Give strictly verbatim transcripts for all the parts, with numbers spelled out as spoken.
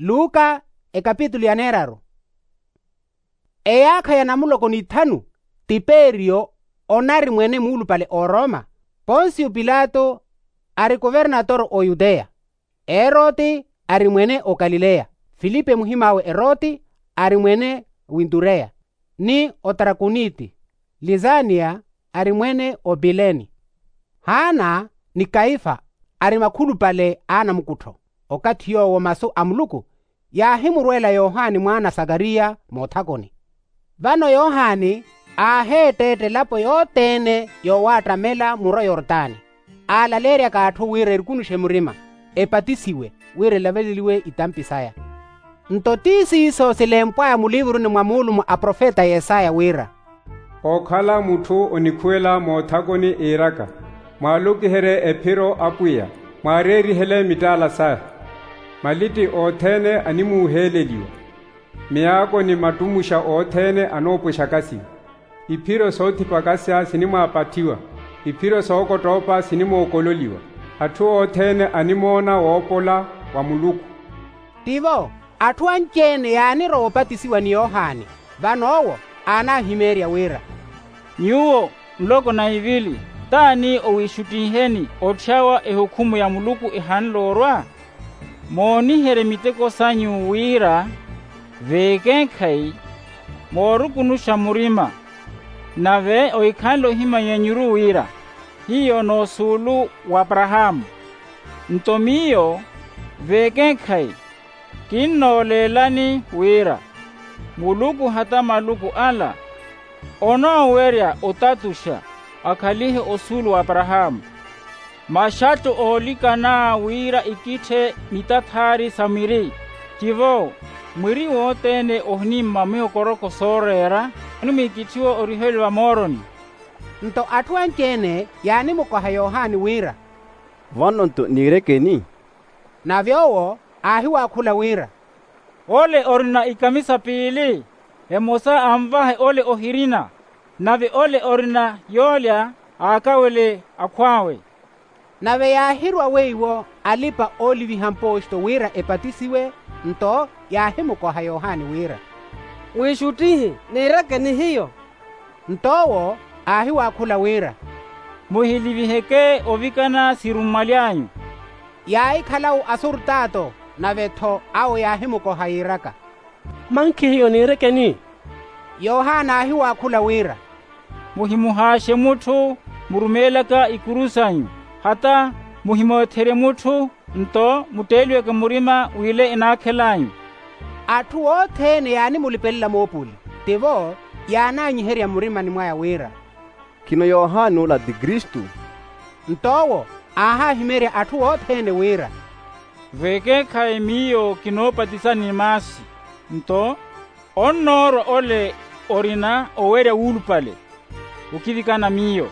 Luka ekapitulu ya neeraru. Eyaakha ya namuloko n'ithanu, tiperiyo onari mwene muulupale oroma. Ponsiyo pilato ari kuvernatoro oyuteya. Eroti ari mwene okalileya. Filipe muhim'awe eroti ari mwene wintureya, ni otarakuniti. Lisaniya ari mwene opileni. Haana ni kaifa ari makhulupale a anamukuttho. Okathi yoowo masu a muluku yaahimurweela yohani mwaana a sakariya moothakoni. Vano yohani aaheetteetta elapo yothene yoowaattamela muro yortani, aalaleeryaka atthu wira erikunuxe murima, epatisiwe, wira elaveleliwe itampi saya. Nto ti siiso silempw'aya mulivuruni mwa muulumo a profeta yesaya wira, ookhala mutthu onikhuwela moothakoni iiraka, mwaalokiherye ephiro apwiya, mwaareerihele mittaala saya. Malitti othene animuuheleliwa, miyaako ni mattumuxa othene anoopwexakasiwa. Iphiro soothipakasya sinimwaapathiwa, iphiro sookottoopa sinimookololiwa. Atthu othene animoona woopola wa muluku. Tivo atthu anci-ene yaanirowa opatisiwa ni yohani. Vano owo aanahimeerya wira, nyuwo nloko na ivili, t'ani owiixuttiheni otthyawa ehukhumu ya muluku ehanle orwa? Mooniherye miteko sanyu wira veekeekhayi moorukunuxa murima, nave ohikhanle ohimannyanyuru wira hiyo n'usuulu w'aparahaamu. Nto miyo veekeekhayi kinnooleelani wira muluku hata maluku ala onoowerya otatuxa akhalihe osuulu w'aparahaamu. Maxattu oolikana wira ikitthe mitathaari sa mwiri, tivo mwiri wothene ohinimma mihokoroko sooreera onimwiikitthiwa oriheliwa mooroni. Nto atthu anci-ene yaanimukoha yohani wira, vano-nto niirekeni? Nave owo aahiwaakhula wira, ole orina ikamisa piili, emosa anvahe ole ohirina, nave ole orina yoolya aakawele akhw'awe. Nave yaahirwa weiwo alipa-ooliviha mpoosto wira epatisiwe. Nto yaahimukoha yohani wira, mwiixuttihi, niirekeni hiyo? Nto owo aahiwaakhula wira, muhiliviheke ovikana sirummwaly'anyu. Yaahikhala-wo asurtaato, nave-tho awo yaahimukoha yiiraka, mankhi hiyo niirekeni? Yohana aahiwaakhula wira, muhimuhaaxe mutthu murumeelaka ikuru sanyu, hata muhimootherye mutthu, nto mutteeliweke murima w'ile enaakhel'anyu. Atthu othene yaanimulipelela moopuli, tivo yaanaanyiherya murimani mwaya wira, khino yohani ola ti kristu? Nto owo aahahimeerya atthu othene wira, veekeekhayi miyo kinoopatisani ni maasi, nto onnoorwa ole orina owerya wuulupale okivikana miyo,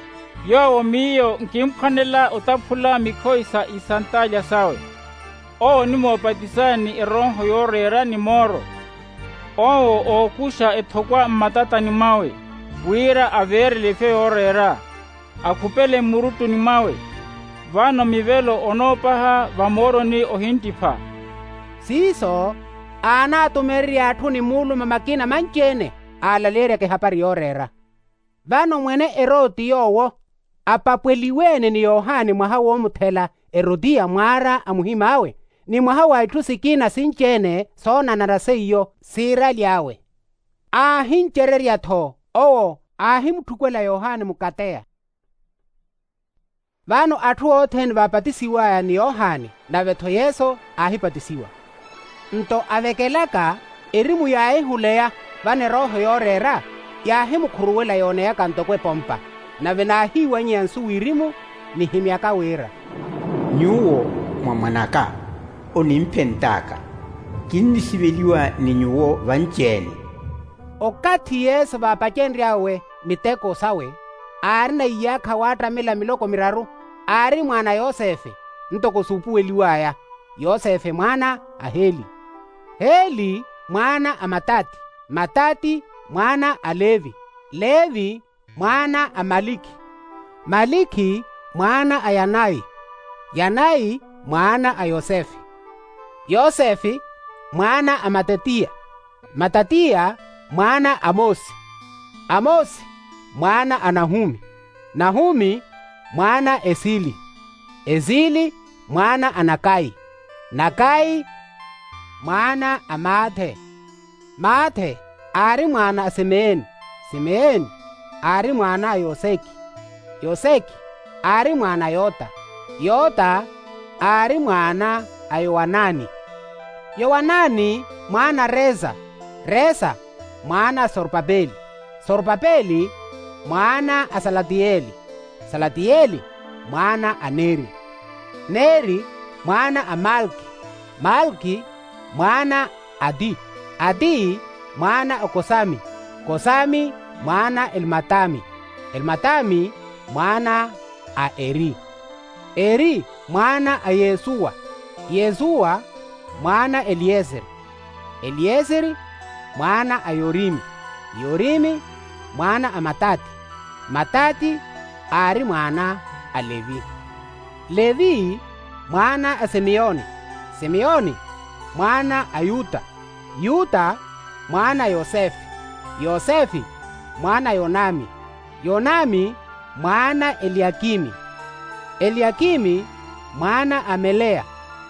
yoowo miyo nkimpwanela otaphula mikhoyi sa isantaalya sawe. Owo onimoopatisani ni erooho yooreera ni mooro. Owo ookuxa ethokwa mmatatani mwawe, wira aveerele ifyo yooreera, akhupele mmuruttuni mwawe. Vano mivelo onoopaha vamooroni ohinttipha. Siiso aanaatumererya atthu ni muuluma makina manci-ene aalaleeryaka ehapari yooreera. Vano mwene eroti yoowo apapweliwe-ene ni yohani mwaha woomuthela, erotiya mwaara a muhim'awe, ni mwaha wa itthu sikina sinci-ene soonanara seiyo siiraly'awe. Aahincererya-tho owo aahimuthukwela yohani mukateya. Vano atthu othene vaapatisiw'aya ni yohani, nave-tho yesu aahipatisiwa. Nto avekelaka erimu yaahihuleya, vano erooho yooreera yaahimukhuruwela yooneyaka ntoko epompa. Nave naahiiwanyeya nsu wirimu nihimyaka wira, nyuwo mwa mwan'aka, onimphent'aka, kinnisiveliwa ni nyuwo vanci-ene. Okathi yesu vaapacenry'awe miteko sawe, aarina iyaakha waattamela miloko miraru, aari mwaana a yosefe, ntoko suupuweliw'aya, yosefe mwaana a heli, heli mwaana a matati, matati mwaana a levi, levi mwaana a malikhi, malikhi mwaana a yanayi, yanayi mwaana a yosefe, yosefe mwaana a matatiya, matatiya mwaana a mose, a mose mwaana a nahumi, nahumi mwaana a esili, esili mwaana a nakayi, nakayi mwaana a maathe, maathe aari mwaana a simeyoni, simeyoni aari mwaana a yoseki, yoseki aari mwaana a yota, yota aari mwaana a yowanani, yowanani mwaana a resa, resa mwaana a sorpapeli, sorpapeli mwaana a salatiyeli, salatiyeli mwaana a neri, neri mwaana a malki, malki mwaana a adi, adi mwaana a kosami, kosami mwaana a elmatami, elmatami mwaana a eri, eri mwaana a yesuwa, yesuwa mwaana a eliyeseri, eliyeseri mwaana a yorimi, yorimi mwaana a matati, matati aari mwaana a levi, levi mwaana a simiyoni, simiyoni mwaana a yuta, yuta mwaana a yosefe, yosefe mwaana a yonami, yonami mwaana a eliyakimi, eliyakimi mwaana a meleya,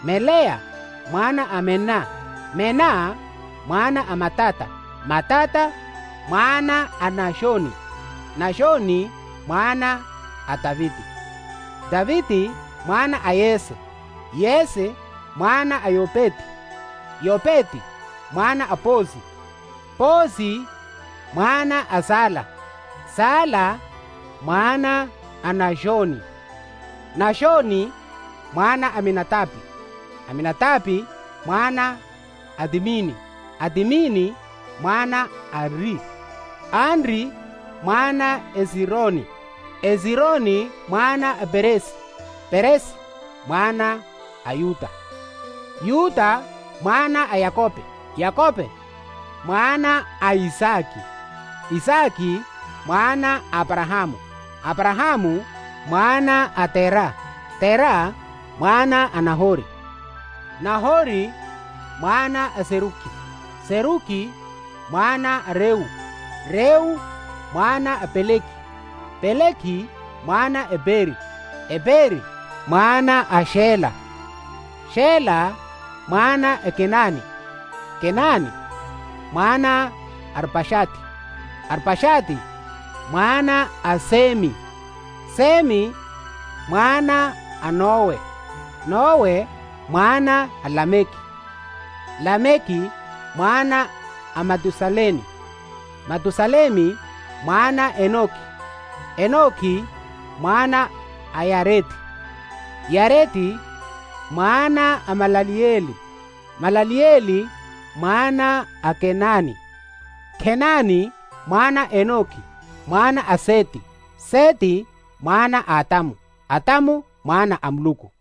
meleya mwaana a menna, menna mwaana a matata, matata mwaana a naxoni, naxoni mwaana a taviti, taviti mwaana a yese, yese mwaana a yopeti, yopeti mwaana a posi, posi mwaana a sala, sala mwaana a naxoni, naxoni mwaana a aminatapi, aminatapi mwaana a timini, a timini mwaana a anri, anri mwaana a esironi, esironi mwaana a peresi, peresi mwaana a yuta, yuta mwaana a yakope, yakope mwaana a isaki, isaki mwaana a aparahamu, aparahamu mwaana a tera, tera mwaana a nahori, nahori mwaana a seruki, seruki mwaana a reu, reu mwaana a peleki, peleki mwaana a eperi, eperi mwaana a xela, xela mwaana a kenani, kenani mwaana a arpaxati, arpaxati mwaana a semi, semi mwaana a nowe, nowe mwaana a lameki, lameki mwaana a matusalemi, matusalemi mwaana a enoki, enoki mwaana a yareti, yareti mwaana a malaliyeli, malaliyeli mwaana a kenani, kenani mwaana a enoki mwaana a seti, seti mwaana a atamu, atamu mwaana a muluku.